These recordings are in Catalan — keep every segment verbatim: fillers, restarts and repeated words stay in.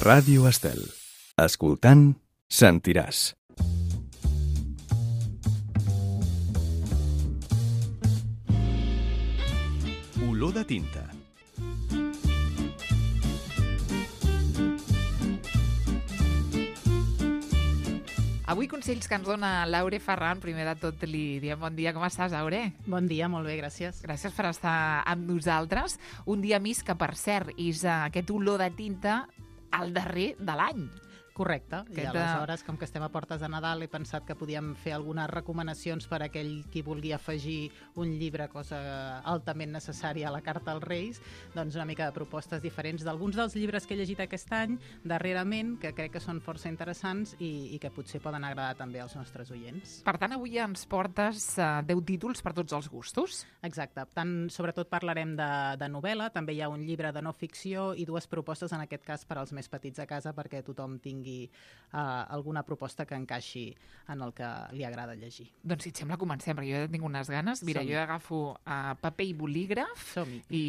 Ràdio Estel. Escoltant, sentiràs. Olor de tinta. Avui consells que ens dona l'Aure Ferran. Primer de tot li diem bon dia. Com estàs, Aure? Bon dia, molt bé, gràcies. Gràcies per estar amb nosaltres. Un dia més que, per cert, és aquest olor de tinta al darrer de l'any. Correcte. I Aquest, aleshores, com que estem a portes de Nadal, he pensat que podíem fer algunes recomanacions per a aquell qui vulgui afegir un llibre, cosa altament necessària a la carta als Reis, doncs una mica de propostes diferents d'alguns dels llibres que he llegit aquest any, darrerament, que crec que són força interessants i, i que potser poden agradar també als nostres oients. Per tant, avui ens portes uh, deu títols per tots els gustos. Exacte. Tant, sobretot parlarem de, de novel·la, també hi ha un llibre de no ficció i dues propostes, en aquest cas, per als més petits a casa, perquè tothom tingui Uh, alguna proposta que encaixi en el que li agrada llegir. Doncs si et sembla, comencem, perquè jo ja tinc unes ganes. Mira, Som-hi. jo agafo uh, paper i bolígraf i,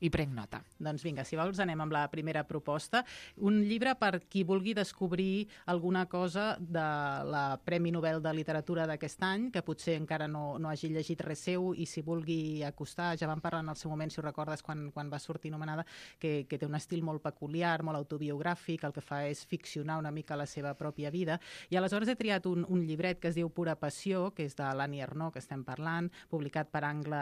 i prenc nota. Doncs vinga, si vols anem amb la primera proposta. Un llibre per qui vulgui descobrir alguna cosa de la Premi Nobel de Literatura d'aquest any, que potser encara no, no hagi llegit res seu i si vulgui acostar, ja vam parlar en el seu moment, si ho recordes, quan, quan va sortir nomenada, que, que té un estil molt peculiar, molt autobiogràfic, el que fa és ficcionar una mica la seva pròpia vida, i aleshores he triat un, un llibret que es diu Pura Passió, que és de l'Annie Ernaux, que estem parlant, publicat per Angle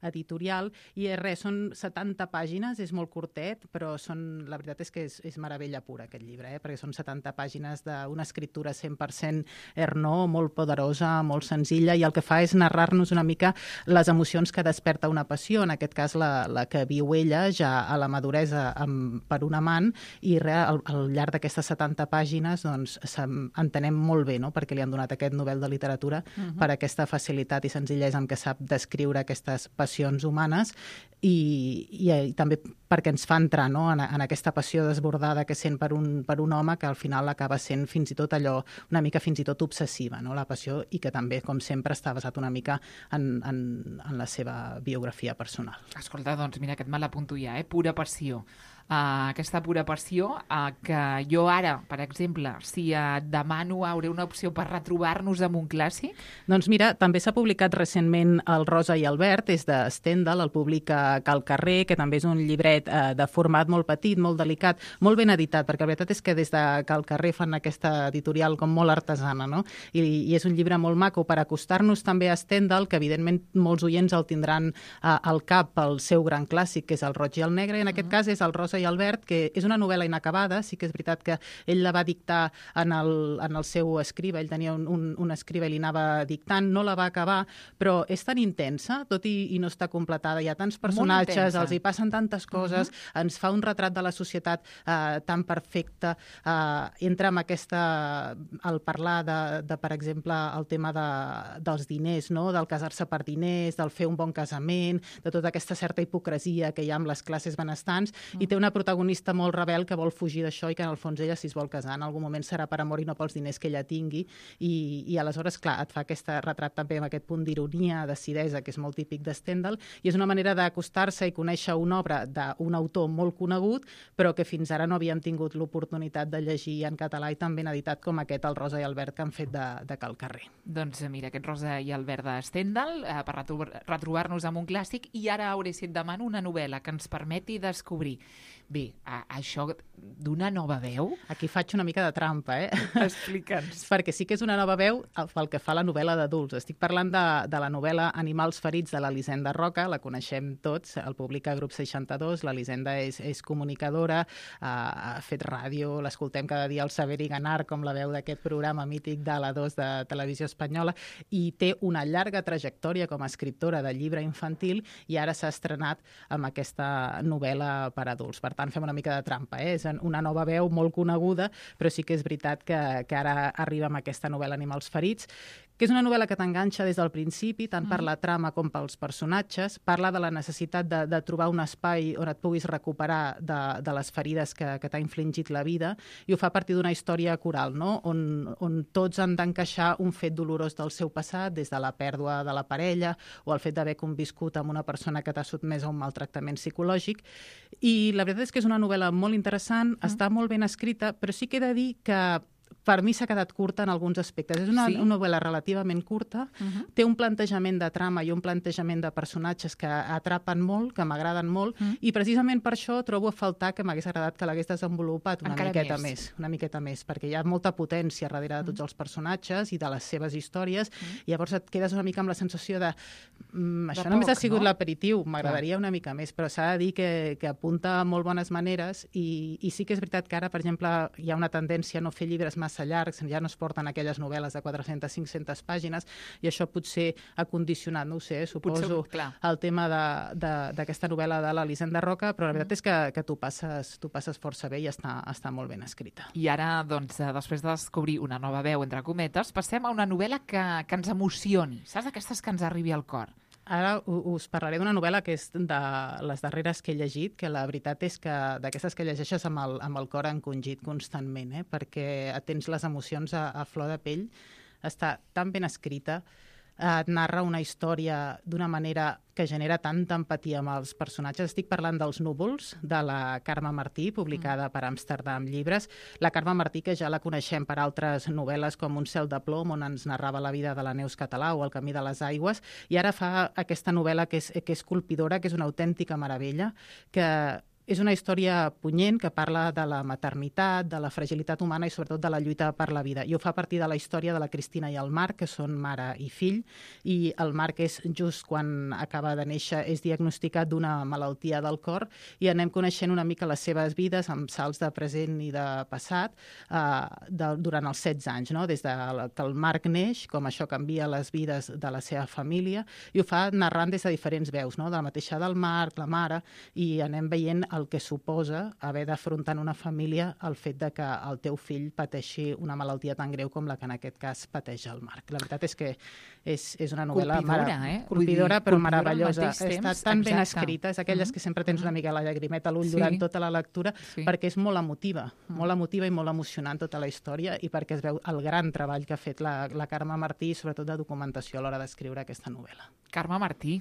Editorial, i és res, són setanta pàgines, és molt curtet, però són, la veritat és que és, és meravella pura aquest llibre, eh? Perquè són setanta pàgines d'una escriptura cent per cent Ernaux, molt poderosa, molt senzilla, i el que fa és narrar-nos una mica les emocions que desperta una passió, en aquest cas la, la que viu ella ja a la maduresa amb, per un amant, i re, al, al llarg d'aquestes setanta pàgines doncs entenem molt bé, no?, perquè li han donat aquest Nobel de Literatura, uh-huh. per aquesta facilitat i senzillesa amb què sap descriure aquestes passions humanes i, i, i també perquè ens fa entrar, no?, en, en aquesta passió desbordada que sent per un, per un home que al final acaba sent fins i tot allò una mica fins i tot obsessiva, no?, la passió, i que també, com sempre, està basat una mica en, en, en la seva biografia personal. Escolta, doncs mira, aquest me l'apunto ja, eh? Pura passió. Uh, aquesta pura passió uh, que jo ara, per exemple, si uh, demano hauré una opció per retrobar-nos amb un clàssic? Doncs mira, també s'ha publicat recentment el Rosa i el Verd, és de Stendhal, el publica Cal Carrer, que també és un llibret uh, de format molt petit, molt delicat, molt ben editat, perquè la veritat és que des de Cal Carrer fan aquesta editorial com molt artesana, no? I, i és un llibre molt maco per acostar-nos també a Stendhal, que evidentment molts oients el tindran uh, al cap pel seu gran clàssic, que és el Roig i el Negre, i en aquest uh-huh. cas és el Rosa i el Verd, que és una novel·la inacabada, sí que és veritat que ell la va dictar en el, en el seu escriba, ell tenia un, un, un escriba i li anava dictant, no la va acabar, però és tan intensa, tot i, i no està completada, hi ha tants personatges, els hi passen tantes coses, uh-huh. ens fa un retrat de la societat eh, tan perfecte, eh, entra amb aquesta, al parlar de, de, per exemple, el tema de, dels diners, no?, del casar-se per diners, del fer un bon casament, de tota aquesta certa hipocresia que hi ha amb les classes benestants, uh-huh. i té una protagonista molt rebel que vol fugir d'això i que en el fons ella, si es vol casar, en algun moment serà per amor i no pels diners que ella tingui, i, i aleshores, clar, et fa aquest retrat també amb aquest punt d'ironia, d'acidesa, que és molt típic de Stendhal, i és una manera d'acostar-se i conèixer una obra d'un autor molt conegut, però que fins ara no havíem tingut l'oportunitat de llegir en català i tan ben editat com aquest, el Rosa i el Verd, que han fet de, de Cal Carrer. Doncs mira, aquest Rosa i el Verd de Stendhal, eh, per retrobar-nos amb un clàssic, i ara, Aure, si et demano una novel·la que ens permeti descobrir bé, a, això d'una nova veu... Aquí faig una mica de trampa, eh? Explica'ns. Perquè sí que és una nova veu pel que fa a la novel·la d'adults. Estic parlant de, de la novel·la Animals ferits de l'Elisenda Roca, la coneixem tots, el publica Grup seixanta-dos, l'Elisenda és, és comunicadora, ha, ha fet ràdio, l'escoltem cada dia al Saber i Ganar, com la veu d'aquest programa mític de la dos de Televisió Espanyola, i té una llarga trajectòria com a escriptora de llibre infantil i ara s'ha estrenat amb aquesta novel·la per adults. Per tant, fem una mica de trampa, eh? És una nova veu molt coneguda, però sí que és veritat que, que ara arriba amb aquesta novel·la Animals ferits, que és una novel·la que t'enganxa des del principi, tant per la trama com pels personatges, parla de la necessitat de, de trobar un espai on et puguis recuperar de, de les ferides que, que t'ha infligit la vida, i ho fa a partir d'una història coral, no? on, on tots han d'encaixar un fet dolorós del seu passat, des de la pèrdua de la parella o el fet d'haver conviscut amb una persona que t'ha sotmès a un maltractament psicològic. I la veritat és que és una novel·la molt interessant, mm. està molt ben escrita, però sí que he de dir que per mi s'ha quedat curta en alguns aspectes. És una, sí? una novel·la relativament curta, uh-huh. té un plantejament de trama i un plantejament de personatges que atrapen molt, que m'agraden molt, uh-huh. i precisament per això trobo a faltar que m'hagués agradat que l'hagués desenvolupat una Encara miqueta més. més. Una miqueta més, perquè hi ha molta potència darrere de tots uh-huh. els personatges i de les seves històries, uh-huh. i llavors et quedes una mica amb la sensació de mm, això de només poc, ha sigut no? l'aperitiu, m'agradaria una mica més, però s'ha de dir que, que apunta molt bones maneres, i, i sí que és veritat que ara, per exemple, hi ha una tendència a no fer llibres massa llargs, ja no es porten aquelles novel·les de quatre-centes a cinc-centes pàgines, i això potser ha condicionat, no ho sé, suposo, potser, el tema d'aquesta novel·la de l'Elisenda Roca, però la veritat és que, que tu passes, tu passes força bé i està, està molt ben escrita. I ara, doncs, després de descobrir una nova veu, entre cometes, passem a una novel·la que, que ens emocioni, saps? Aquestes que ens arribi al cor. Ara us parlaré d'una novel·la que és de les darreres que he llegit, que la veritat és que d'aquestes que llegeixes amb el, amb el cor encongit constantment, eh? perquè tens les emocions a, a flor de pell. Està tan ben escrita, et narra una història d'una manera que genera tanta empatia amb els personatges. Estic parlant dels Núvols, de la Carme Martí, publicada per Amsterdam Llibres. La Carme Martí, que ja la coneixem per altres novel·les com Un cel de plom, on ens narrava la vida de la Neus Català, o El camí de les aigües, i ara fa aquesta novel·la que és, que és colpidora, que és una autèntica meravella, que és una història punyent que parla de la maternitat, de la fragilitat humana i sobretot de la lluita per la vida. I ho fa a partir de la història de la Cristina i el Marc, que són mare i fill, i el Marc és just quan acaba de néixer, és diagnosticat d'una malaltia del cor, i anem coneixent una mica les seves vides amb salts de present i de passat eh, de, durant els setze anys, no? Des de que el Marc neix, com això canvia les vides de la seva família, i ho fa narrant des de diferents veus, no? De la mateixa del Marc, la mare, i anem veient el que suposa haver d'afrontar en una família el fet de que el teu fill pateixi una malaltia tan greu com la que en aquest cas pateix el Marc. La veritat és que és, és una novel·la colpidora, eh? colpidora però colpidora meravellosa. Està temps, tan exacte. ben escrita, és aquelles mm-hmm. que sempre tens una mica la llagrimeta a l'ull sí. durant tota la lectura, sí. perquè és molt emotiva, mm. molt emotiva i molt emocionant tota la història, i perquè es veu el gran treball que ha fet la, la Carme Martí, sobretot de documentació a l'hora d'escriure aquesta novel·la. Carme Martí,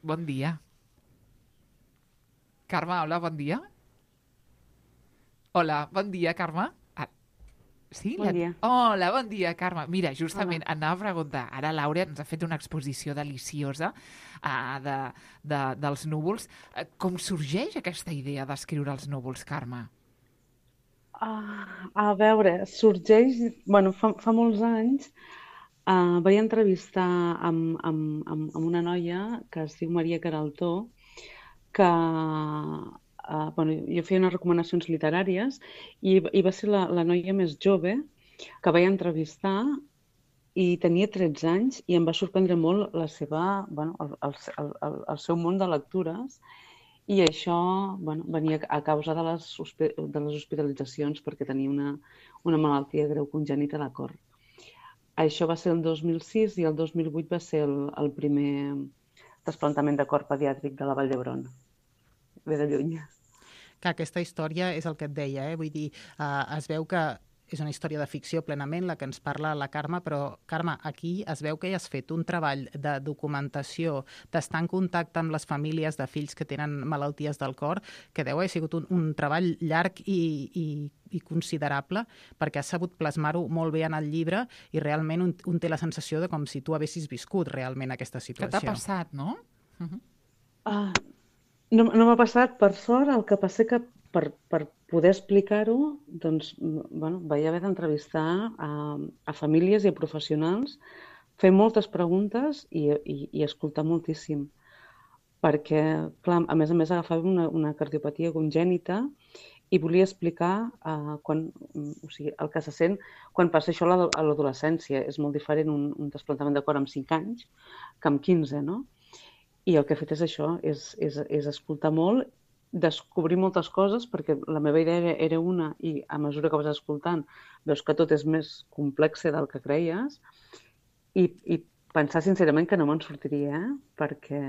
bon dia. Carme, hola, bon dia. Hola, bon dia, Carme. Ah, sí? Bon la... dia. Hola, bon dia, Carme. Mira, justament hola. Anava a preguntar, ara l'Àurea ens ha fet una exposició deliciosa uh, de, de, dels núvols. Uh, com sorgeix aquesta idea d'escriure els núvols, Carme? Uh, a veure, sorgeix... Bueno, fa, fa molts anys uh, vaig entrevistar amb, amb, amb, amb una noia que es diu Maria Queraltó, que uh, bueno, jo feia unes recomanacions literàries i, i va ser la, la noia més jove que vaig entrevistar, i tenia tretze anys, i em va sorprendre molt la seva, bueno, el, el, el, el seu món de lectures, i això bueno, venia a causa de les, de les hospitalitzacions perquè tenia una, una malaltia greu congènita de cor. Això va ser el dos mil sis, i el dos mil vuit va ser el, el primer trasplantament de cor pediàtric de la Vall d'Hebron. Ve de lluny. Que aquesta història és el que et deia, eh? Vull dir, eh, es veu que és una història de ficció plenament, la que ens parla la Carme, però, Carme, aquí es veu que hi has fet un treball de documentació, d'estar en contacte amb les famílies de fills que tenen malalties del cor, que deu haver sigut un, un treball llarg i, i, i considerable, perquè has sabut plasmar-ho molt bé en el llibre, i realment un, un té la sensació de com si tu haguessis viscut realment aquesta situació. Que t'ha passat, no? Uh-huh. Uh, no no m'ha passat, per sort. El que passa que per, per poder explicar-ho, doncs, bueno, vaig haver d'entrevistar a, a famílies i a professionals, fer moltes preguntes i, i, i escoltar moltíssim. Perquè, clar, a més a més agafava una, una cardiopatia congènita i volia explicar uh, quan, o sigui, el que se sent quan passa això a l'adolescència. És molt diferent un, un trasplantament de cor amb cinc anys que amb quinze, no? I el que he fet és això, és, és, és escoltar molt, descobrir moltes coses, perquè la meva idea era, era una, i a mesura que vas escoltant veus que tot és més complex del que creies, i, i pensar sincerament que no me'n sortiria, eh? Perquè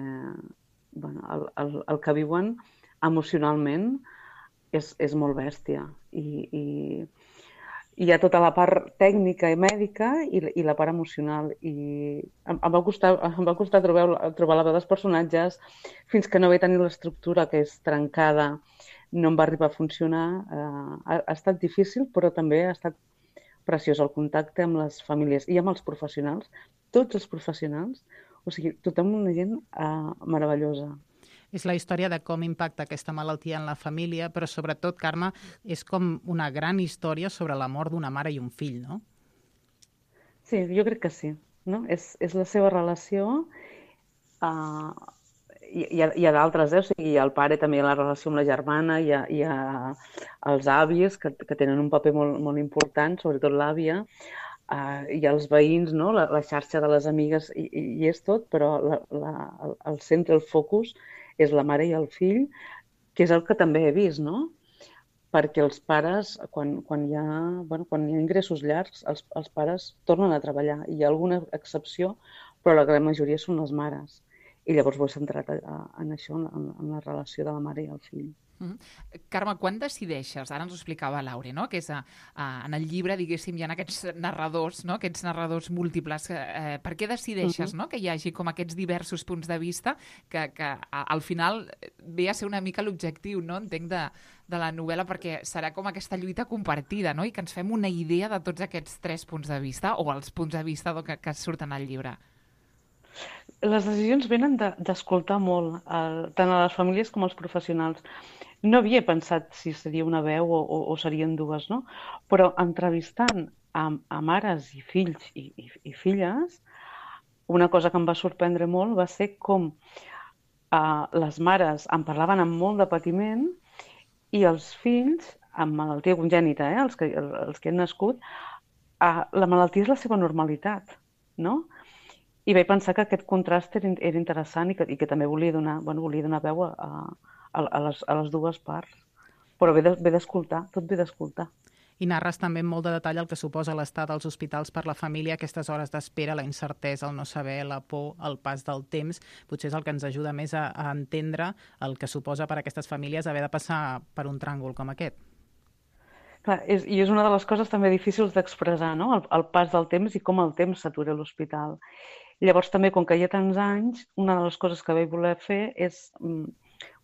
bueno, el, el, el que viuen emocionalment és, és molt bèstia. I, i, i hi ha tota la part tècnica i mèdica i, i la part emocional. I em, em va costar, em va costar trobar, trobar la veu dels personatges fins que no vaig tenir l'estructura que és trencada, no em va arribar a funcionar. Uh, ha, ha estat difícil, però també ha estat preciós el contacte amb les famílies i amb els professionals, tots els professionals, o sigui, tothom una gent uh, meravellosa. És la història de com impacta aquesta malaltia en la família, però sobretot, Carme, és com una gran història sobre la mort d'una mare i un fill, no? Sí, jo crec que sí. No? És, és la seva relació. Uh, hi, hi ha, hi ha d'altres, eh? O sigui, el pare també hi ha la relació amb la germana, hi ha, hi ha els avis que, que tenen un paper molt, molt important, sobretot l'àvia, uh, hi ha els veïns, no? la, la xarxa de les amigues, i, i és tot, però la, la, el, el centre, el focus, és la mare i el fill, que és el que també he vist, no? Perquè els pares, quan, quan, hi, ha, bueno, quan hi ha ingressos llargs, els, els pares tornen a treballar. Hi ha alguna excepció, però la gran majoria són les mares. I llavors ho he centrat en això, en, en la relació de la mare i el fill. Mm-hmm. Carme, quan decideixes, ara ens ho explicava Laure, no? Que és a, a, en el llibre, diguéssim, hi ha aquests narradors, no? Aquests narradors múltiples. Eh, per què decideixes, uh-huh. no? que hi hagi com aquests diversos punts de vista que, que a, al final ve a ser una mica l'objectiu, no? Entenc, de, de la novel·la, perquè serà com aquesta lluita compartida, no? I que ens fem una idea de tots aquests tres punts de vista o els punts de vista que, que surten al llibre. Les decisions venen d'escoltar de, molt, eh, tant a les famílies com als professionals. No havia pensat si seria una veu o, o, o serien dues, no? Però entrevistant a, a mares i fills i, i, i filles, una cosa que em va sorprendre molt va ser com eh, les mares em parlaven amb molt de patiment i els fills, amb malaltia congènita, eh, els, que, els que han nascut, eh, la malaltia és la seva normalitat, no? I vaig pensar que aquest contrast era, era interessant i que, i que també volia donar, bueno, volia donar veu a, a, a, les, a les dues parts. Però ve d'escoltar, tot ve d'escoltar. I narres també amb molt de detall el que suposa l'estat als hospitals per la família, aquestes hores d'espera, la incertesa, el no saber, la por, el pas del temps. Potser és el que ens ajuda més a, a entendre el que suposa per a aquestes famílies haver de passar per un tràngol com aquest. Clar, és, i és una de les coses també difícils d'expressar, no? El, el pas del temps i com el temps s'atura a l'hospital. Llavors també, com que hi ha tants anys, una de les coses que vaig voler fer és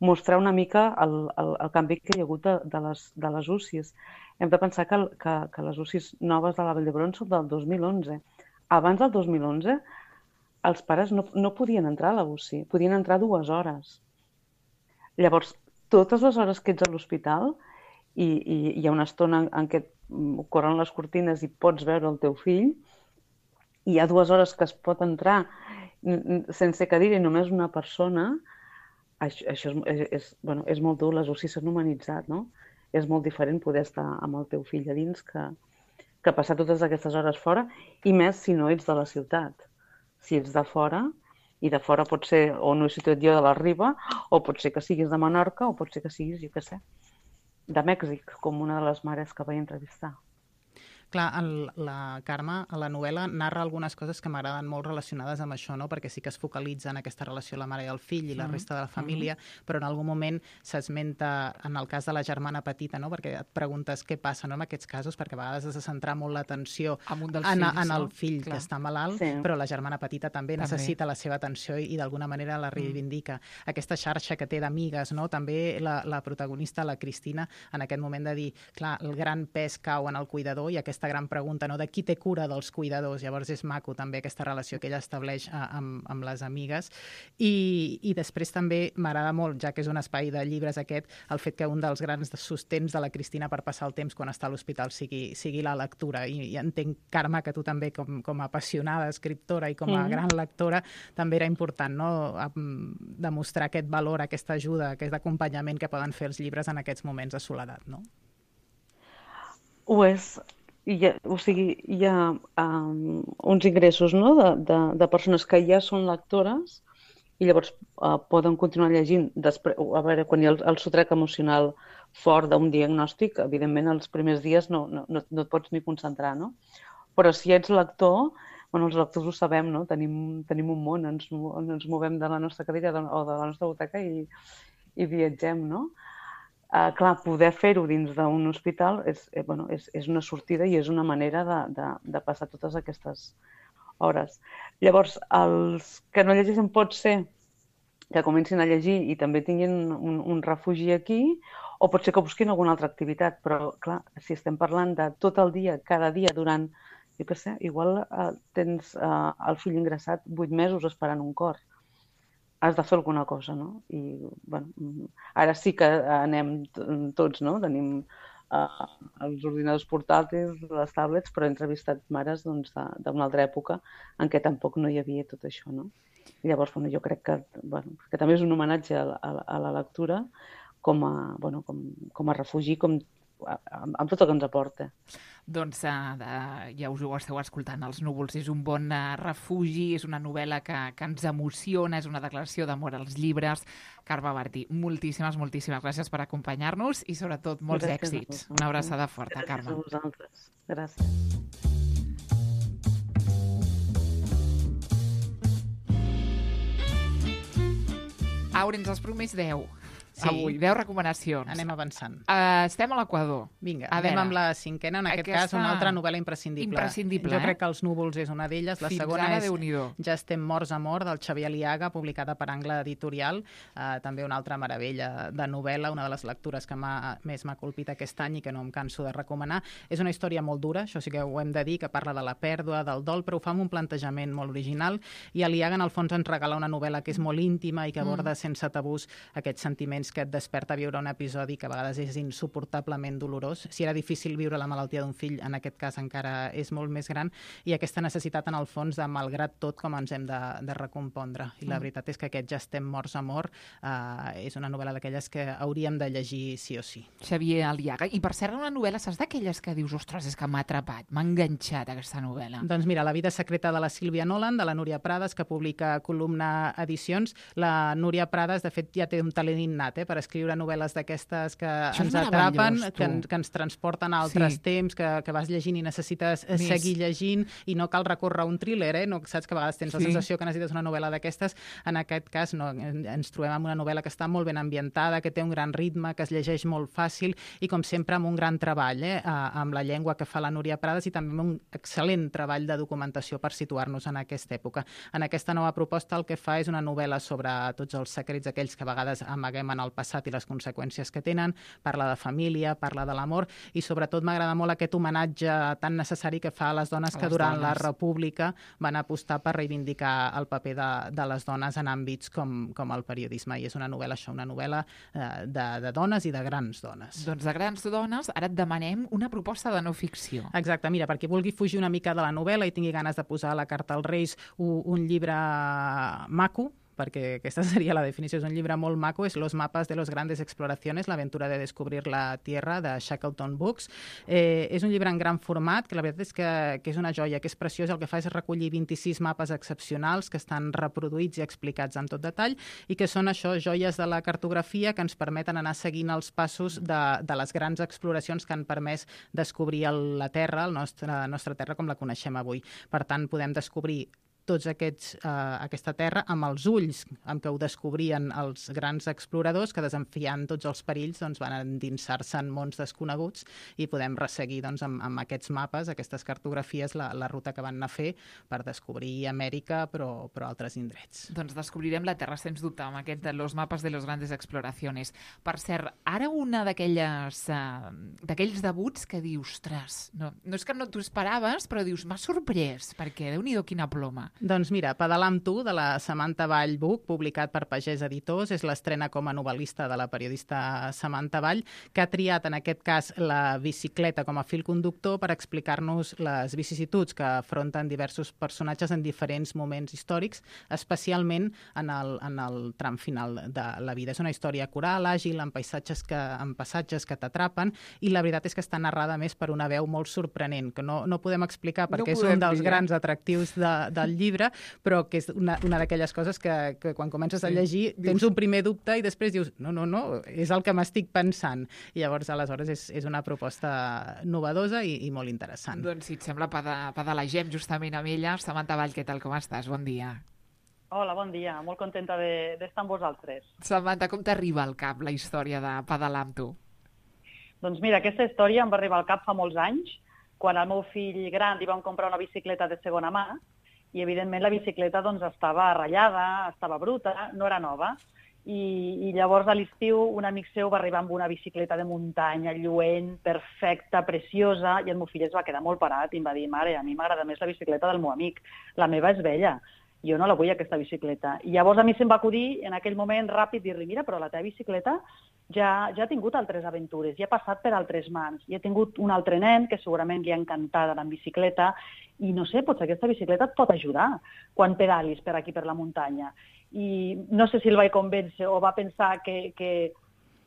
mostrar una mica el, el, el canvi que hi ha hagut de, de, les, de les U C Is. Hem de pensar que, que, que les U C Is noves de la Vall d'Hebron són del dos mil onze. Abans del dos mil onze, els pares no, no podien entrar a la U C I, podien entrar dues hores. Llavors, totes les hores que ets a l'hospital, i, i hi ha una estona en, en què corren les cortines i pots veure el teu fill, hi ha dues hores que es pot entrar sense cadira i només una persona, això, això és, és, bueno, és molt dur, les U C I s'han humanitzat, no? És molt diferent poder estar amb el teu fill a dins que, que passar totes aquestes hores fora, i més si no ets de la ciutat. Si ets de fora, i de fora pot ser, o no he situat jo, de la Riba, o pot ser que siguis de Menorca, o pot ser que siguis, jo què sé, de Mèxic, com una de les mares que vaig entrevistar. Clar, el, la Carme, a la novel·la, narra algunes coses que m'agraden molt relacionades amb això, no? Perquè sí que es focalitza en aquesta relació la mare i el fill i la resta de la família, mm-hmm. però en algun moment s'esmenta, en el cas de la germana petita, no? Perquè et preguntes què passa, no? En aquests casos, perquè a vegades has de centrar molt l'atenció en, en, en el fill Clar. que està malalt, sí. però la germana petita també, també necessita la seva atenció i, i d'alguna manera la reivindica. Mm. Aquesta xarxa que té d'amigues, no? També la, la protagonista, la Cristina, en aquest moment de dir, clar, el gran pes cau en el cuidador i aquesta aquesta gran pregunta, no? De qui té cura dels cuidadors. Llavors és maco també aquesta relació que ella estableix amb, amb les amigues. I, i després també m'agrada molt, ja que és un espai de llibres aquest, el fet que un dels grans sostens de la Cristina per passar el temps quan està a l'hospital sigui, sigui la lectura. I, i entenc, Carme, que tu també, com, com a apassionada escriptora i com a mm. gran lectora, també era important, no? Demostrar aquest valor, aquesta ajuda, aquest acompanyament que poden fer els llibres en aquests moments de soledat, no? Ho és. Hi ha, o sigui, hi ha um, uns ingressos, no? de, de, de persones que ja són lectores i llavors uh, poden continuar llegint. Després, a veure, quan hi ha el, el sotrac emocional fort d'un diagnòstic, evidentment els primers dies no, no, no, no et pots ni concentrar, no? Però si ets lector, bueno, els lectors ho sabem, no? Tenim, tenim un món, ens, ens movem de la nostra cadira o de la nostra butaca i, i viatgem, no? Uh, clar, poder fer-ho dins d'un hospital és, eh, bueno, és, és una sortida i és una manera de, de, de passar totes aquestes hores. Llavors, els que no llegeixen pot ser que comencin a llegir i també tinguin un, un refugi aquí, o pot ser que busquin alguna altra activitat, però clar, si estem parlant de tot el dia, cada dia, durant, jo què sé, igual eh, tens eh, el fill ingressat vuit mesos esperant un cor. Has de fer alguna cosa, no? I, bueno, ara sí que anem tots, no? Tenim eh, els ordinadors portàtils, les tablets, però he entrevistat mares doncs, d'una altra època en què tampoc no hi havia tot això, no? I llavors, bueno, jo crec que, bueno, que també és un homenatge a, a, a la lectura com a, bueno, com, com a refugi, com, amb, amb tot el que ens aporta. Doncs uh, de, ja us ho esteu escoltant, Els núvols és un bon uh, refugi, és una novel·la que, que ens emociona, és una declaració d'amor als llibres. Carme Martí, moltíssimes, moltíssimes gràcies per acompanyar-nos i sobretot molts gràcies èxits. Una abraçada forta, gràcies Carme. Gràcies a vosaltres. Gràcies. Aurens, els primers deu. Sí. Avui, deu recomanacions. Anem avançant. Uh, estem a l'Equador. Vinga, a anem veure, amb la cinquena, en aquest aquesta... cas una altra novel·la imprescindible. Imprescindible, jo eh? crec que Els núvols és una d'elles. La Fins segona ara, és Déu-n'hi-do. Ja estem morts a mort, del Xavier Aliaga, publicada per Angle Editorial. Uh, també una altra meravella de novel·la, una de les lectures que més m'ha colpit aquest any i que no em canso de recomanar. És una història molt dura, això sí que ho hem de dir, que parla de la pèrdua, del dol, però ho fa amb un plantejament molt original. I Aliaga, en el fons, ens regala una novel·la que és molt íntima i que aborda mm. sense tabús aquests sentiments que et desperta viure un episodi que a vegades és insuportablement dolorós. Si era difícil viure la malaltia d'un fill, en aquest cas encara és molt més gran, i aquesta necessitat, en el fons, de malgrat tot com ens hem de, de recompondre. I la mm. veritat és que aquest Ja estem morts a mort eh, és una novel·la d'aquelles que hauríem de llegir sí o sí. Xavier Aliaga. I per cert, una novel·la, saps d'aquelles que dius, ostres, és que m'ha atrapat, m'ha enganxat aquesta novel·la? Doncs mira, La vida secreta de la Sílvia Nolan, de la Núria Prades, que publica Columna Edicions. La Núria Prades, de fet, ja té un talent innat eh, per escriure novel·les d'aquestes que Això ens atrapen, que, que ens transporten a altres sí. temps, que, que vas llegint i necessites Més. seguir llegint i no cal recórrer a un thriller, eh? No, saps que a vegades tens sí. la sensació que necessites una novel·la d'aquestes. En aquest cas no, ens trobem amb una novel·la que està molt ben ambientada, que té un gran ritme, que es llegeix molt fàcil i, com sempre, amb un gran treball eh? amb la llengua que fa la Núria Prades i també amb un excel·lent treball de documentació per situar-nos en aquesta època. En aquesta nova proposta el que fa és una novel·la sobre tots els secrets aquells que a vegades amaguem en el passat i les conseqüències que tenen, parla de família, parla de l'amor i sobretot m'agrada molt aquest homenatge tan necessari que fa a les dones a que les durant dones. la República van apostar per reivindicar el paper de, de les dones en àmbits com, com el periodisme. I és una novel·la, això, una novel·la eh, de, de dones i de grans dones. Doncs de grans dones, ara et demanem una proposta de no ficció. Exacte, mira, perquè vulgui fugir una mica de la novel·la i tingui ganes de posar a la carta als Reis un, un llibre maco, perquè aquesta seria la definició, és un llibre molt maco, és Los mapas de los grandes exploraciones, l'aventura de descobrir la Tierra, de Shackleton Books. Eh, és un llibre en gran format, que la veritat és que, que és una joia, que és preciós, el que fa és recollir vint-i-sis mapes excepcionals que estan reproduïts i explicats amb tot detall i que són això, joies de la cartografia que ens permeten anar seguint els passos de, de les grans exploracions que han permès descobrir el, la Terra, el nostre, la nostra Terra com la coneixem avui. Per tant, podem descobrir tots aquests, eh, aquesta terra amb els ulls amb què ho descobrien els grans exploradors que, desafiant tots els perills, doncs, van endinsar-se en mons desconeguts i podem resseguir doncs, amb, amb aquests mapes, aquestes cartografies, la, la ruta que van anar a fer per descobrir Amèrica, però, però altres indrets. Doncs descobrirem la Terra, sens dubte, amb aquest Los mapas de los grandes exploraciones. Per cert, ara una d'aquelles uh, d'aquells debuts que dius, ostres, no, no és que no t'ho esperaves, però dius, m'ha sorprès, perquè Déu-n'hi-do quina ploma. Doncs mira, Pedalar amb tu, de la Samantha Vall Buch, publicat per Pagès Editors, és l'estrena com a novel·lista de la periodista Samantha Vall, que ha triat en aquest cas la bicicleta com a fil conductor per explicar-nos les vicissituds que afronten diversos personatges en diferents moments històrics, especialment en el, en el tram final de la vida. És una història coral, àgil, amb paisatges que, amb passatges que t'atrapen, i la veritat és que està narrada més per una veu molt sorprenent, que no, no podem explicar perquè no és un dels dir. grans atractius de, del llibre, llibre, però que és una, una d'aquelles coses que, que quan comences a llegir tens un primer dubte i després dius, no, no, no, és el que m'estic pensant. I llavors, aleshores, és, és una proposta novedosa i, i molt interessant. Doncs, si et sembla, pedalagem justament amb ella. Samantha Vall, què tal, com estàs? Bon dia. Hola, bon dia. Molt contenta d'estar de, amb vosaltres. Samantha, com t'arriba al cap la història de pedalar amb tu? Doncs mira, aquesta història em va arribar al cap fa molts anys, quan al meu fill gran li vam comprar una bicicleta de segona mà i, evidentment, la bicicleta doncs, estava ratllada, estava bruta, no era nova. I, i llavors, a l'estiu, un amic seu va arribar amb una bicicleta de muntanya, lluent, perfecta, preciosa, i el meu fill es va quedar molt parat i em va dir, mare, a mi m'agrada més la bicicleta del meu amic, la meva és vella. Jo no la vull, aquesta bicicleta. I llavors a mi se'm va acudir, en aquell moment, ràpid, dir-li, mira, però la teva bicicleta ja, ja ha tingut altres aventures, ja ha passat per altres mans. I he tingut un altre nen que segurament li ha encantat anar en bicicleta i, no sé, potser aquesta bicicleta et pot ajudar quan pedalis per aquí, per la muntanya. I no sé si el vaig convèncer o va pensar que... que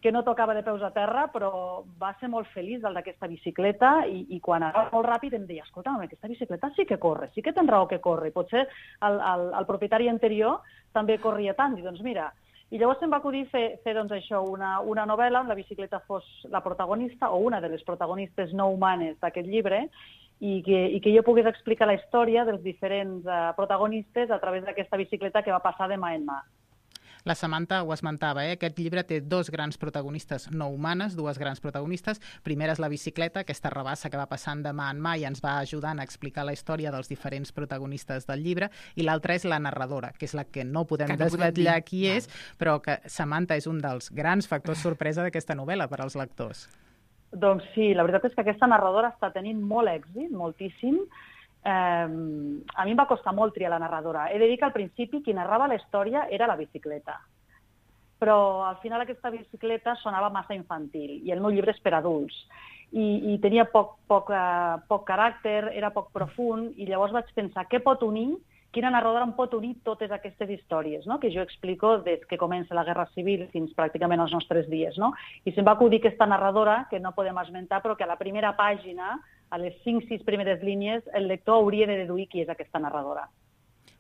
que no tocava de peus a terra, però va ser molt feliç del d'aquesta bicicleta i, i quan anava molt ràpid em deia, escolta, aquesta bicicleta sí que corre, sí que tens raó que corre, potser el, el, el propietari anterior també corria tant, i doncs mira, i llavors se'm va acudir fer, fer doncs això, una, una novel·la on la bicicleta fos la protagonista o una de les protagonistes no humanes d'aquest llibre i que, i que jo pogués explicar la història dels diferents uh, protagonistes a través d'aquesta bicicleta que va passar de mà en mà. La Samantha ho esmentava, eh? Aquest llibre té dos grans protagonistes no humanes, dues grans protagonistes. Primera és la bicicleta, aquesta rabassa que va passant de mà en mà i ens va ajudant a explicar la història dels diferents protagonistes del llibre, i l'altra és la narradora, que és la que no podem que no desvetllar podem qui és, però que Samantha és un dels grans factors sorpresa d'aquesta novel·la per als lectors. Doncs sí, la veritat és que aquesta narradora està tenint molt èxit, moltíssim. Eh, a mi em va costar molt triar la narradora. He de dir que al principi qui narrava la història era la bicicleta. Però al final aquesta bicicleta sonava massa infantil i el meu llibre és per adults. I, i tenia poc, poc, uh, poc caràcter, era poc profund, i llavors vaig pensar què pot unir, quina narradora em pot unir totes aquestes històries, no? Que jo explico des que comença la Guerra Civil fins pràcticament als nostres dies. No? I se'm va acudir aquesta narradora, que no podem esmentar, però que a la primera pàgina, a les cinc sis primeres línies, el lector hauria de deduir qui és aquesta narradora.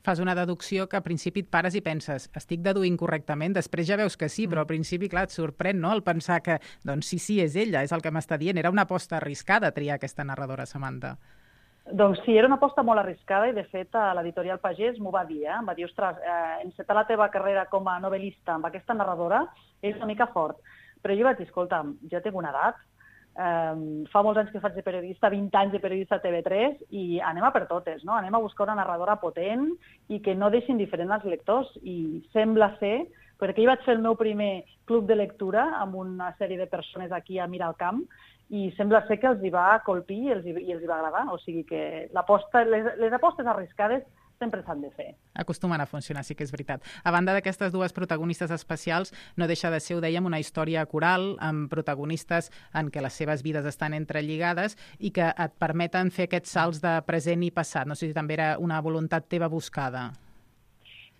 Fas una deducció que al principi et pares i penses, estic deduint correctament, després ja veus que sí, però al principi, clar, et sorprèn, no?, el pensar que, doncs sí, sí, és ella, és el que m'està dient. Era una aposta arriscada triar aquesta narradora, Samantha. Doncs sí, era una aposta molt arriscada i, de fet, l'editorial Pagès m'ho va dir, eh? Em va dir, ostres, eh, encetar la teva carrera com a novel·lista amb aquesta narradora és una mica fort. Però jo vaig dir, escolta'm, ja tinc una edat, Um, fa molts anys que faig de periodista, vint anys de periodista a T V tres, i anem a per totes, no? Anem a buscar una narradora potent i que no deixi indiferent als lectors. I sembla ser, perquè jo vaig fer el meu primer club de lectura amb una sèrie de persones aquí a Miralcamp, i sembla ser que els hi va colpir i els hi, i els hi va agradar. O sigui que l'aposta, les, les apostes arriscades sempre s'han de fer. Acostumen a funcionar, sí que és veritat. A banda d'aquestes dues protagonistes especials, no deixa de ser, ho dèiem, una història coral amb protagonistes en què les seves vides estan entrelligades i que et permeten fer aquests salts de present i passat. No sé si també era una voluntat teva buscada.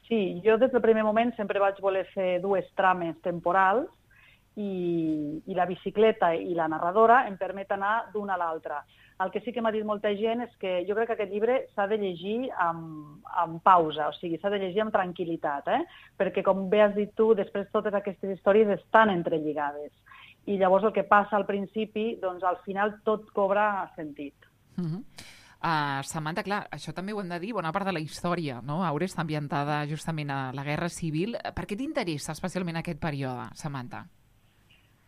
Sí, jo des del primer moment sempre vaig voler fer dues trames temporals i, i la bicicleta i la narradora em permet anar d'una a l'altra. El que sí que m'ha dit molta gent és que jo crec que aquest llibre s'ha de llegir amb, amb pausa, o sigui, s'ha de llegir amb tranquil·litat, eh? Perquè, com bé has dit tu, després totes aquestes històries estan entrelligades. I llavors el que passa al principi, doncs al final tot cobra sentit. Uh-huh. Uh, Samantha, clar, això també ho hem de dir, bona part de la història, no? Aura està ambientada justament a la Guerra Civil. Per què t'interessa especialment aquest període, Samantha?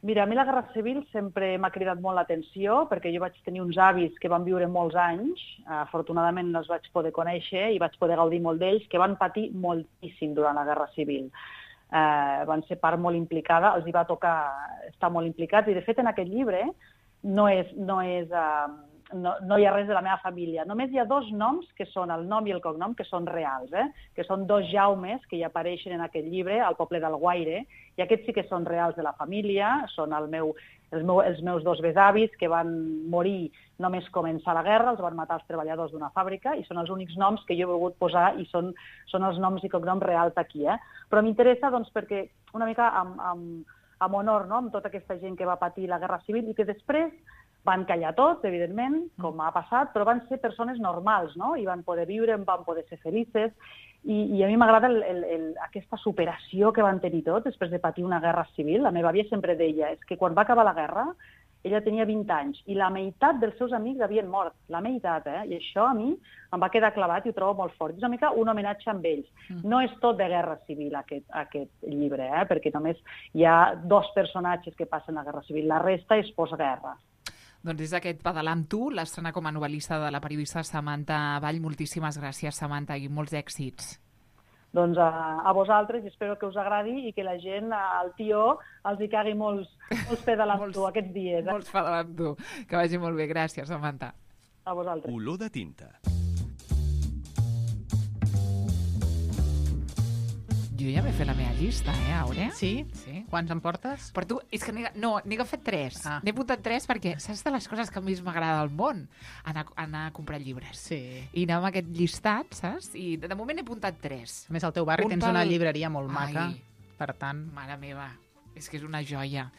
Mira, a mi la Guerra Civil sempre m'ha cridat molt l'atenció, perquè jo vaig tenir uns avis que van viure molts anys, afortunadament els vaig poder conèixer i vaig poder gaudir molt d'ells, que van patir moltíssim durant la Guerra Civil. Eh, van ser part molt implicada, els hi va tocar estar molt implicats, i de fet en aquest llibre no és... No és eh, No, no hi ha res de la meva família. Només hi ha dos noms, que són el nom i el cognom, que són reals, eh? Que són dos Jaumes que hi apareixen en aquest llibre, al poble d'Alguaire, i aquests sí que són reals de la família, són el meu, els, meu, els meus dos besavis, que van morir només començar la guerra, els van matar els treballadors d'una fàbrica, i són els únics noms que jo he volgut posar, i són, són els noms i cognoms reals aquí. Eh? Però m'interessa doncs, perquè una mica amb, amb, amb honor, no? Amb tota aquesta gent que va patir la Guerra Civil, i que després Van callar tots, evidentment, com ha passat, però van ser persones normals, no? I van poder viure, van poder ser felices. I, i a mi m'agrada el, el, el, aquesta superació que van tenir tots després de patir una guerra civil. La meva àvia sempre deia és que quan va acabar la guerra, ella tenia vint anys i la meitat dels seus amics havien mort. La meitat, eh? I això a mi em va quedar clavat i ho trobo molt fort. És una mica un homenatge amb ells. No és tot de guerra civil, aquest, aquest llibre, eh? Perquè només hi ha dos personatges que passen la guerra civil. La resta és postguerra. Doncs és aquest Pedalar amb tu, l'estrena com a novel·lista de la periodista Samantha Vall. Moltíssimes gràcies, Samantha, i molts èxits. Doncs a, a vosaltres, i espero que us agradi i que la gent, al tió, els hi cagui molts, molts Pedalar amb tu aquests dies. Eh? Molts Pedalar amb tu. Que vagi molt bé. Gràcies, Samantha. A vosaltres. Olor de tinta. Jo ja m'he fet la meva llista, eh, Àurea? Sí? Sí. Quants en portes? Per tu, és que n'he, no, n'he agafat tres. Ah. N'he apuntat tres perquè saps de les coses que més m'agrada al món? Anar, anar a comprar llibres. Sí. I anar amb aquest llistat, saps? I de moment he apuntat tres. A més, al teu barri Un tens pel- una llibreria molt maca, Ai. per tant... Mare meva, és que és una joia.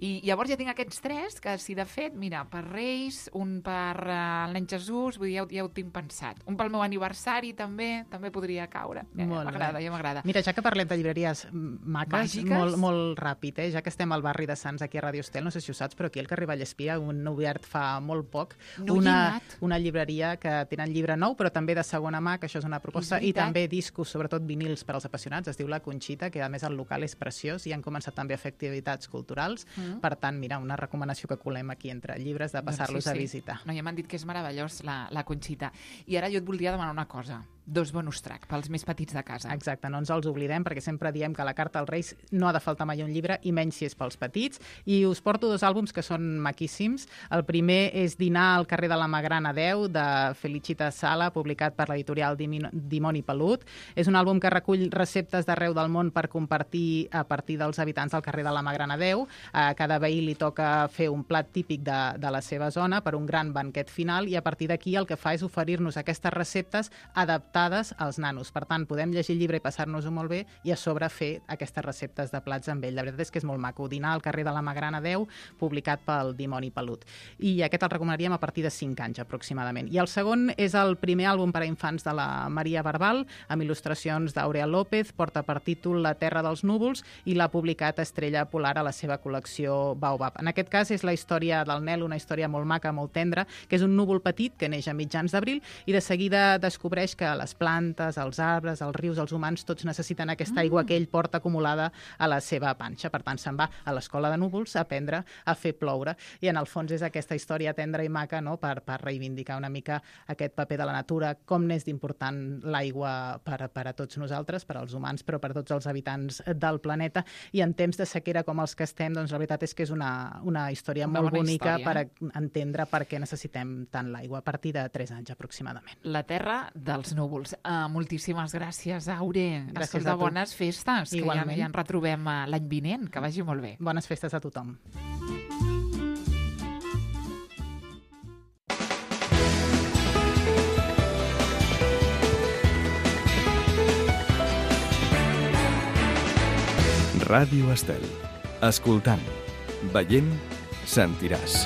I llavors ja tinc aquests tres, que si de fet, mira, per Reis, un per uh, l'any Jesús, vull dir, ja, ho- ja ho tinc pensat. Un pel meu aniversari també, també podria caure. Ja, Molt m'agrada, bé. ja m'agrada. Mira, ja que parlem de llibreries maques, Màgiques? molt, molt ràpid, eh? Ja que estem al barri de Sants, aquí a Radio Estel, no sé si ho saps, però aquí al carrer Vallespia un obert fa molt poc No hi he una, anat. una llibreria que tenen llibre nou, però també de segona mà, que això és una proposta, És i veritat. també discos, sobretot vinils per als apassionats, es diu La Conxita, que a més el local és preciós i han començat també a fer activitats culturals. Mm. Per tant, mira, una recomanació que colem aquí entre llibres de passar-los Doncs sí, a sí. visitar. No, ja m'han dit que és meravellós la, la Conxita. I ara jo et voldria demanar una cosa. Dos bonus track pels més petits de casa. Exacte, no ens els oblidem perquè sempre diem que a la carta als Reis no ha de faltar mai un llibre i menys si és pels petits. I us porto dos àlbums que són maquíssims. El primer és Dinar al carrer de la Magrana deu, de Felicita Sala, publicat per l'editorial Dimi- Dimoni Pelut. És un àlbum que recull receptes d'arreu del món per compartir a partir dels habitants del carrer de la Magrana deu. A cada veí li toca fer un plat típic de, de la seva zona per un gran banquet final i a partir d'aquí el que fa és oferir-nos aquestes receptes adaptades als nanos. Per tant, podem llegir el llibre i passar-nos-ho molt bé i a sobre fer aquestes receptes de plats amb ell. La veritat és que és molt maco. Dinar al carrer de la Magrana deu, publicat pel Dimoni Pelut. I aquest el recomanaríem a partir de cinc anys aproximadament. I el segon és el primer àlbum per a infants de la Maria Barbal, amb il·lustracions d'Aurea López, porta per títol La terra dels núvols i l'ha publicat Estrella Polar a la seva col·lecció Baobab. En aquest cas és la història del Nel, una història molt maca, molt tendra, que és un núvol petit que neix a mitjans d'abril i de seguida descobreix que les plantes, els arbres, els rius, els humans, tots necessiten aquesta aigua que ell porta acumulada a la seva panxa. Per tant, se'n va a l'escola de núvols a aprendre a fer ploure. I en el fons és aquesta història tendra i maca, no?, per, per reivindicar una mica aquest paper de la natura, com n'és d'important l'aigua per, per a tots nosaltres, per als humans, però per a tots els habitants del planeta. I en temps de sequera com els que estem, doncs la veritat és que és una, una història Una molt bona bonica història, per a entendre per què necessitem tant l'aigua, a partir de tres anys aproximadament. La terra dels núvols. Uh, moltíssimes gràcies, Aure. Gràcies Escolta, a tu. bones festes, Igualment. que ja, ja ens retrobem uh, l'any vinent. Que vagi molt bé. Bones festes a tothom. Ràdio Estel. Escoltant, veient, sentiràs.